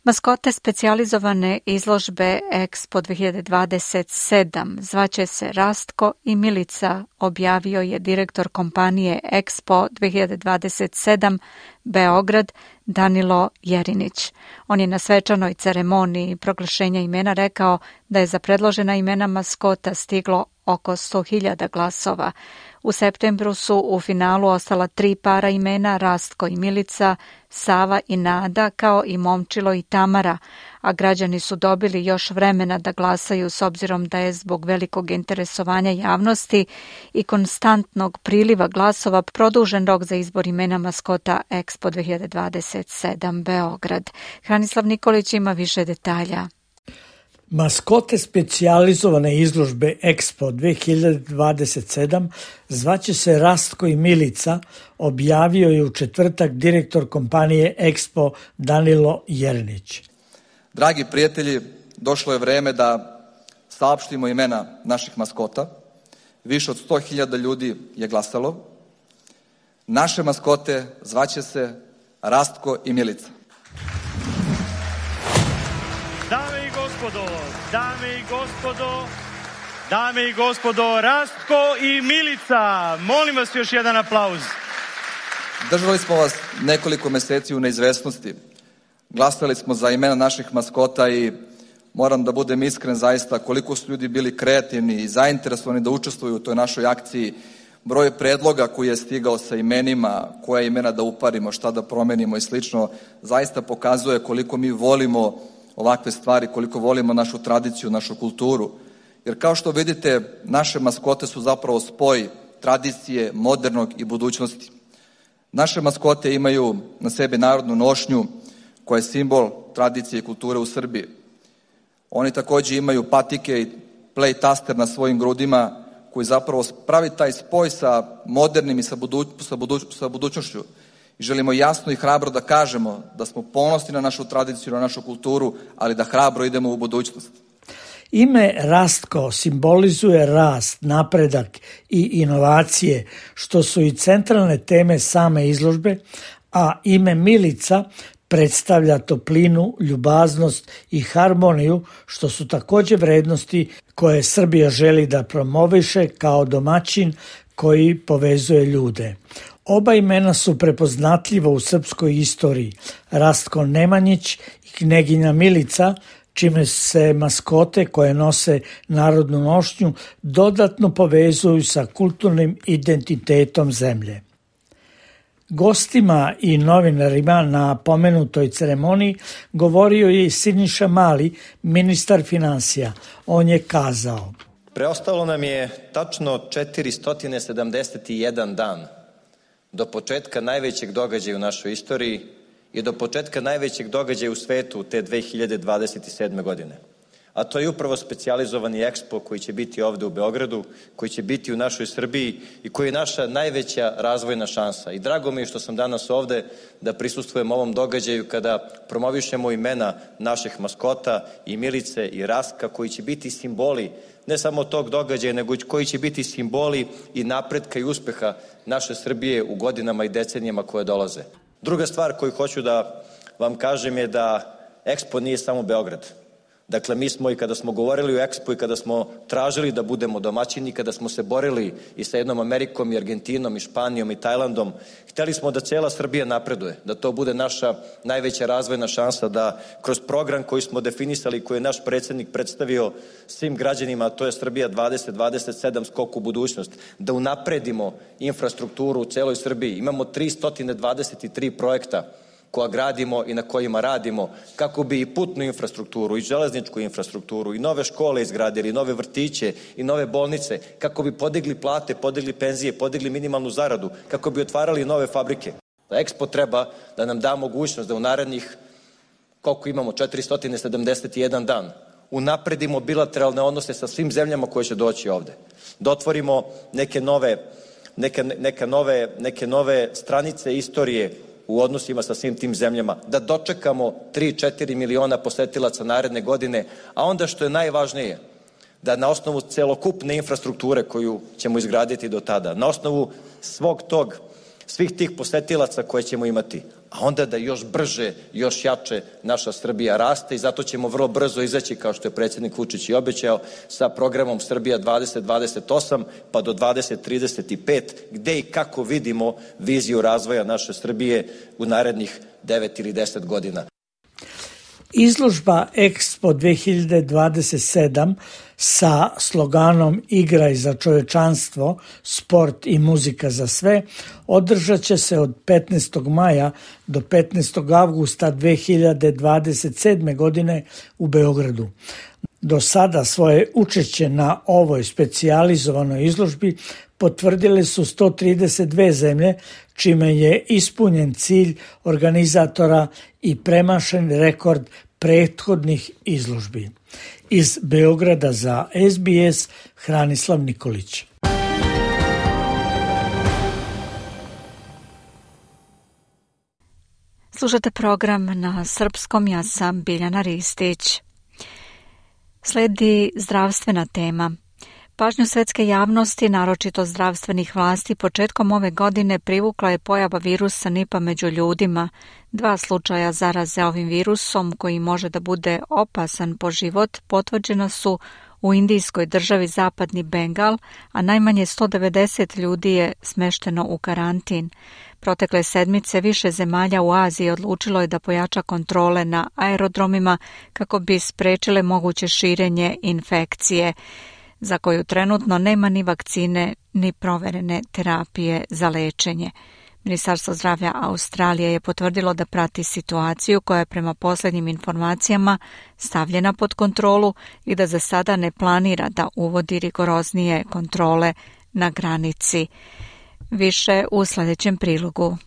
Maskote specijalizovane izložbe Expo 2027 zvaće se Rastko i Milica, objavio je direktor kompanije Expo 2027 Beograd Danilo Jerinić. On je na svečanoj ceremoniji proglašenja imena rekao da je za predložena imena maskota stiglo oko 100.000 glasova. U septembru su u finalu ostala 3 para imena, Rastko i Milica, Sava i Nada, kao i Momčilo i Tamara, a građani su dobili još vremena da glasaju s obzirom da je zbog velikog interesovanja javnosti i konstantnog priliva glasova produžen rok za izbor imena maskota Expo 2027 Beograd. Hranislav Nikolić ima više detalja. Maskote specijalizovane izložbe Expo 2027 zvaće se Rastko i Milica, objavio je u četvrtak direktor kompanije Expo Danilo Jerinić. Dragi prijatelji, došlo je vreme da saopštimo imena naših maskota. Više od 100.000 ljudi je glasalo. Naše maskote zvaće se Rastko i Milica. Dame i gospodo, Rastko i Milica. Molim vas još jedan aplauz. Držali smo vas nekoliko meseci u neizvesnosti. Glasali smo za imena naših maskota i moram da budem iskren zaista koliko su ljudi bili kreativni i zainteresovani da učestvuju u toj našoj akciji. Broj predloga koji je stigao sa imenima, koja imena da uparimo, šta da promenimo i slično, zaista pokazuje koliko mi volimo ovakve stvari, koliko volimo našu tradiciju, našu kulturu. Jer kao što vidite, naše maskote su zapravo spoj tradicije, modernog i budućnosti. Naše maskote imaju na sebi narodnu nošnju koja je simbol tradicije i kulture u Srbiji. Oni takođe imaju patike i play taster na svojim grudima koji zapravo pravi taj spoj sa modernim i sa budućnošću. I želimo jasno i hrabro da kažemo da smo ponosni na našu tradiciju, na našu kulturu, ali da hrabro idemo u budućnost. Ime Rastko simbolizuje rast, napredak i inovacije, što su i centralne teme same izložbe, a ime Milica predstavlja toplinu, ljubaznost i harmoniju, što su takođe vrednosti koje Srbija želi da promoviše kao domaćin koji povezuje ljude. Oba imena su prepoznatljiva u srpskoj istoriji, Rastko Nemanjić i kneginja Milica, čime se maskote koje nose narodnu nošnju dodatno povezuju sa kulturnim identitetom zemlje. Gostima i novinarima na pomenutoj ceremoniji govorio je i Siniša Mali, ministar finansija. On je kazao: Preostalo nam je tačno 471 dan do početka najvećeg događaja u našoj istoriji i do početka najvećeg događaja u svetu te 2027. godine. A to je upravo specijalizovani EXPO koji će biti ovde u Beogradu, koji će biti u našoj Srbiji i koji je naša najveća razvojna šansa. I drago mi je što sam danas ovde da prisustvujem ovom događaju kada promovišemo imena naših maskota i Milice i Rastka, koji će biti simboli ne samo tog događaja, nego koji će biti simboli i napretka i uspeha naše Srbije u godinama i decenijama koje dolaze. Druga stvar koju hoću da vam kažem je da EXPO nije samo Beograd. Dakle, mi smo i kada smo govorili o EXPO i kada smo tražili da budemo domaćini, kada smo se borili i sa jednom Amerikom i Argentinom i Španijom i Tajlandom, hteli smo da cela Srbija napreduje, da to bude naša najveća razvojna šansa, da kroz program koji smo definisali, koji je naš predsjednik predstavio svim građanima, a to je Srbija 2027 skok u budućnost, da unapredimo infrastrukturu u celoj Srbiji. Imamo 323 projekta koja gradimo i na kojima radimo, kako bi i putnu infrastrukturu, i železničku infrastrukturu, i nove škole izgradili, i nove vrtiće, i nove bolnice, kako bi podigli plate, podigli penzije, podigli minimalnu zaradu, kako bi otvarali nove fabrike. EXPO treba da nam da mogućnost da u narednih, koliko imamo, 471 dan, unapredimo bilateralne odnose sa svim zemljama koje će doći ovde. Da otvorimo neke nove stranice istorije u odnosima sa svim tim zemljama, da dočekamo 3-4 miliona posetilaca naredne godine, a onda što je najvažnije, da na osnovu celokupne infrastrukture koju ćemo izgraditi do tada, na osnovu svih tih posetilaca koje ćemo imati, a onda da još brže, još jače naša Srbija raste i zato ćemo vrlo brzo izaći, kao što je predsjednik Vučić i obećao, sa programom Srbija 2028 pa do 2035, gde i kako vidimo viziju razvoja naše Srbije u narednih 9 ili 10 godina. Izložba EXPO 2027 sa sloganom Igraj za čovečanstvo, sport i muzika za sve održat će se od 15. maja do 15. avgusta 2027. godine u Beogradu. Do sada svoje učešće na ovoj specijalizovanoj izložbi potvrdile su 132 zemlje, čime je ispunjen cilj organizatora i premašen rekord prethodnih izložbi. Iz Beograda za SBS, Hranislav Nikolić. Slušate program na srpskom, ja sam Biljana Ristić. Sledi zdravstvena tema. Pažnju svetske javnosti, naročito zdravstvenih vlasti, početkom ove godine privukla je pojava virusa Nipa među ljudima. 2 slučaja zaraze ovim virusom, koji može da bude opasan po život, potvrđena su u indijskoj državi Zapadni Bengal, a najmanje 190 ljudi je smešteno u karantin. Protekle sedmice više zemalja u Aziji odlučilo je da pojača kontrole na aerodromima kako bi sprečile moguće širenje infekcije, za koju trenutno nema ni vakcine ni proverene terapije za lečenje. Ministarstvo zdravlja Australije je potvrdilo da prati situaciju koja je prema posljednjim informacijama stavljena pod kontrolu i da za sada ne planira da uvodi rigoroznije kontrole na granici. Više u sljedećem prilogu.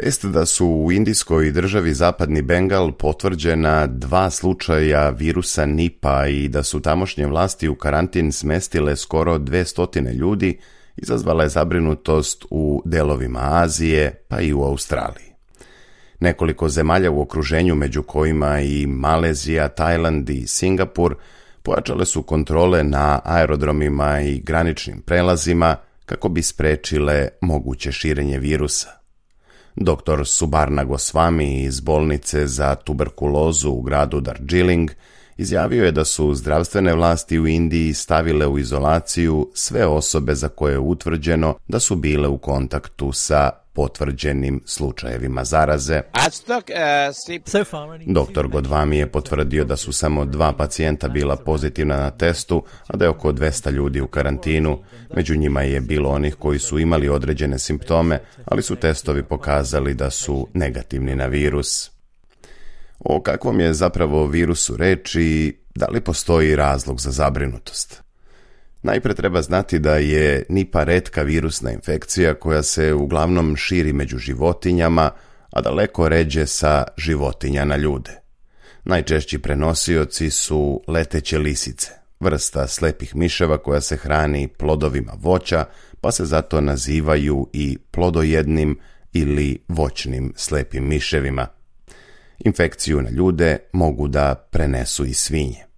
Vest da su u indijskoj državi Zapadni Bengal potvrđena 2 slučaja virusa Nipa i da su tamošnje vlasti u karantin smestile skoro 200 ljudi, izazvala je zabrinutost u delovima Azije pa i u Australiji. Nekoliko zemalja u okruženju, među kojima i Malezija, Tajland i Singapur, pojačale su kontrole na aerodromima i graničnim prelazima kako bi sprečile moguće širenje virusa. Dr. Subarna Goswami iz bolnice za tuberkulozu u gradu Darjeeling izjavio je da su zdravstvene vlasti u Indiji stavile u izolaciju sve osobe za koje je utvrđeno da su bile u kontaktu sa potvrđenim slučajevima zaraze. Dr. Godvami je potvrdio da su samo 2 pacijenta bila pozitivna na testu, a da je oko 200 ljudi u karantinu. Među njima je bilo onih koji su imali određene simptome, ali su testovi pokazali da su negativni na virus. O kakvom je zapravo virusu reč i da li postoji razlog za zabrinutost? Najprije treba znati da je Nipa retka virusna infekcija koja se uglavnom širi među životinjama, a daleko ređe sa životinja na ljude. Najčešći prenosioci su leteće lisice, vrsta slepih miševa koja se hrani plodovima voća, pa se zato nazivaju i plodojednim ili voćnim slepim miševima. Infekciju na ljude mogu da prenesu i svinje.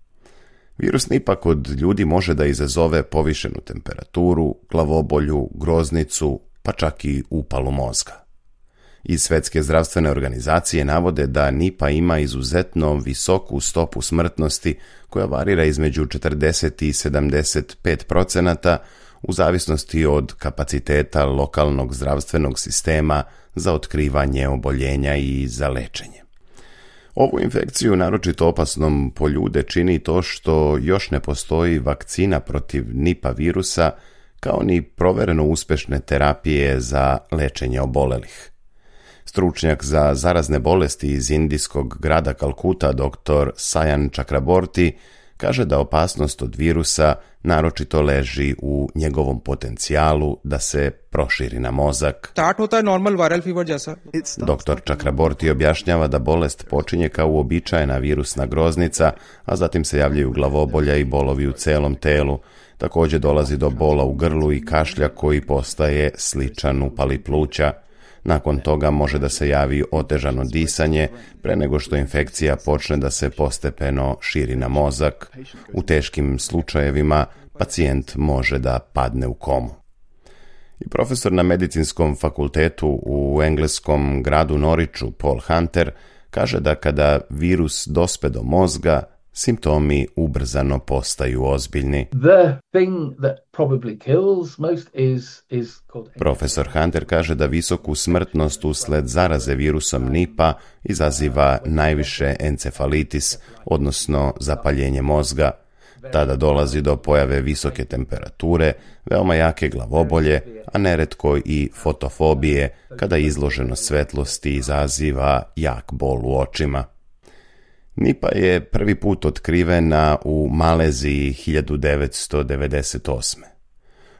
Virus Nipa kod ljudi može da izazove povišenu temperaturu, glavobolju, groznicu, pa čak i upalu mozga. Iz Svetske zdravstvene organizacije navode da Nipa ima izuzetno visoku stopu smrtnosti koja varira između 40 i 75% u zavisnosti od kapaciteta lokalnog zdravstvenog sistema za otkrivanje oboljenja i za lečenje. Ovu infekciju naročito opasnom po ljude čini to što još ne postoji vakcina protiv Nipa virusa, kao ni provereno uspešne terapije za lečenje obolelih. Stručnjak za zarazne bolesti iz indijskog grada Kalkuta, dr. Sayan Chakraborty, kaže da opasnost od virusa naročito leži u njegovom potencijalu da se proširi na mozak. Dr. Chakraborty objašnjava da bolest počinje kao uobičajena virusna groznica, a zatim se javljaju glavobolja i bolovi u celom telu. Također dolazi do bola u grlu i kašlja koji postaje sličan upali pluća. Nakon toga može da se javi otežano disanje pre nego što infekcija počne da se postepeno širi na mozak. U teškim slučajevima pacijent može da padne u komu. I profesor na medicinskom fakultetu u engleskom gradu Norwichu, Paul Hunter, kaže da kada virus dospe do mozga, simptomi ubrzano postaju ozbiljni. Profesor Hunter kaže da visoku smrtnost usled zaraze virusom Nipa izaziva najviše encefalitis, odnosno zapaljenje mozga. Tada dolazi do pojave visoke temperature, veoma jake glavobolje, a neretko i fotofobije, kada izloženost svetlosti izaziva jak bol u očima. Nipa je prvi put otkrivena u Maleziji 1998.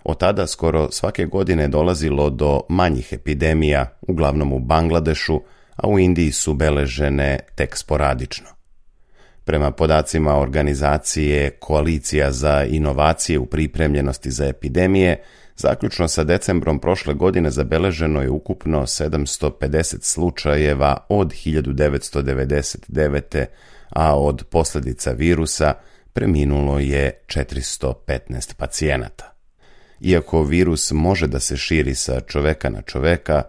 Od tada skoro svake godine dolazilo do manjih epidemija, uglavnom u Bangladešu, a u Indiji su beležene tek sporadično. Prema podacima organizacije Koalicija za inovacije u pripremljenosti za epidemije, zaključno sa decembrom prošle godine zabeleženo je ukupno 750 slučajeva od 1999. a od posljedica virusa preminulo je 415 pacijenata. Iako virus može da se širi sa čoveka na čoveka,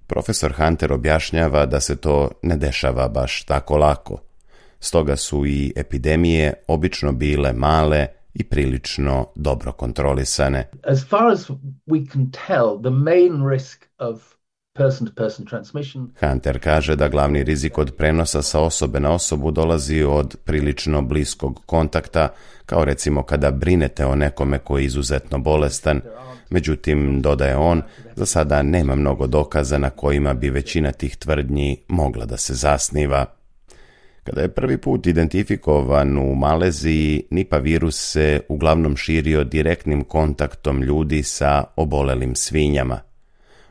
profesor Hunter objašnjava da se to ne dešava baš tako lako. Stoga su i epidemije obično bile male i prilično dobro kontrolisane. As far as we can tell, the main risk of person-to-person transmission. Hunter kaže da glavni rizik od prenosa sa osobe na osobu dolazi od prilično bliskog kontakta, kao recimo kada brinete o nekome koji je izuzetno bolestan. Međutim, dodaje on, za sada nema mnogo dokaza na kojima bi većina tih tvrdnji mogla da se zasniva. Kada je prvi put identifikovan u Maleziji, Nipa virus se uglavnom širio direktnim kontaktom ljudi sa obolelim svinjama.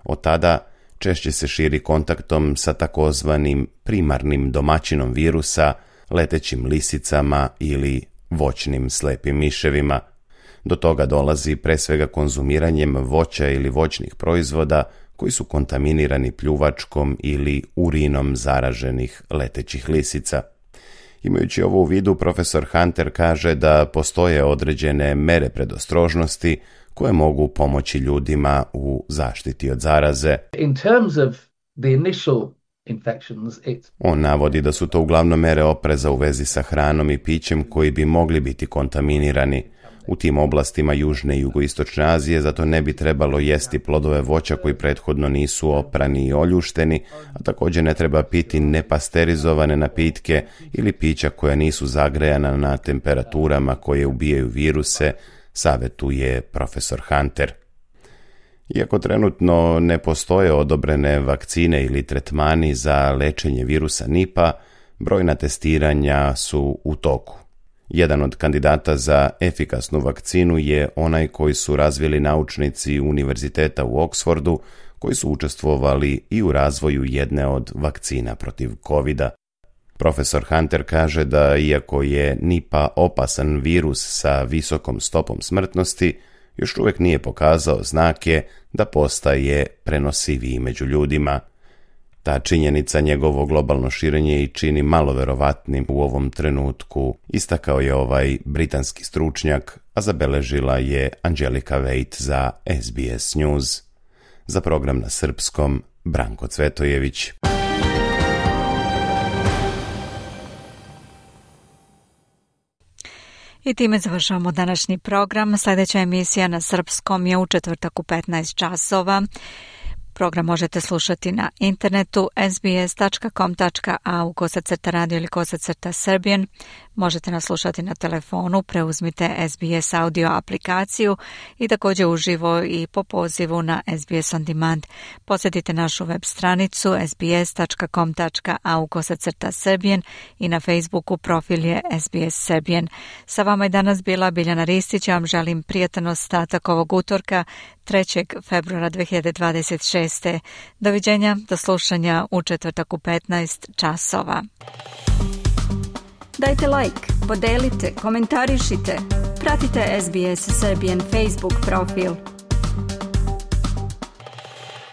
Od tada češće se širi kontaktom sa takozvanim primarnim domaćinom virusa, letećim lisicama ili voćnim slepim miševima. Do toga dolazi pre svega konzumiranjem voća ili voćnih proizvoda koji su kontaminirani pljuvačkom ili urinom zaraženih letećih lisica. Imajući ovo u vidu, profesor Hunter kaže da postoje određene mere predostrožnosti koje mogu pomoći ljudima u zaštiti od zaraze. In terms of the initial infections, On navodi da su to uglavnom mere opreza u vezi sa hranom i pićem koji bi mogli biti kontaminirani. U tim oblastima Južne i Jugoistočne Azije zato ne bi trebalo jesti plodove voća koji prethodno nisu oprani i oljušteni, a također ne treba piti nepasterizovane napitke ili pića koja nisu zagrejana na temperaturama koje ubijaju viruse, savjetuje profesor Hunter. Iako trenutno ne postoje odobrene vakcine ili tretmani za lečenje virusa Nipa, brojna testiranja su u toku. Jedan od kandidata za efikasnu vakcinu je onaj koji su razvili naučnici Univerziteta u Oksfordu, koji su učestvovali i u razvoju jedne od vakcina protiv COVID-a. Profesor Hunter kaže da iako je Nipah opasan virus sa visokom stopom smrtnosti, još uvijek nije pokazao znake da postaje prenosiviji među ljudima. Ta činjenica njegovo globalno širenje i čini malo verovatnim u ovom trenutku, istakao je ovaj britanski stručnjak, a zabeležila je Anđelika Vejt za SBS News. Za program na srpskom, Branko Cvetojević. I time završavamo današnji program. Sljedeća emisija na srpskom je u četvrtak u 15 časova. Program možete slušati na internetu sbs.com.au/radio ili /Serbian. Možete nas slušati na telefonu, preuzmite SBS audio aplikaciju i također uživo i po pozivu na SBS On Demand. Posjetite našu web stranicu sbs.com.au/Serbian i na Facebooku profil je SBS Serbian. Sa vama je danas bila Biljana Ristić. Ja vam želim prijatan ostatak ovog utorka 3. februara 2026. Doviđenja, do slušanja u četvrtak u 15 časova. Dajte like, podelite, komentarišite, pratite SBS Serbian Facebook profil.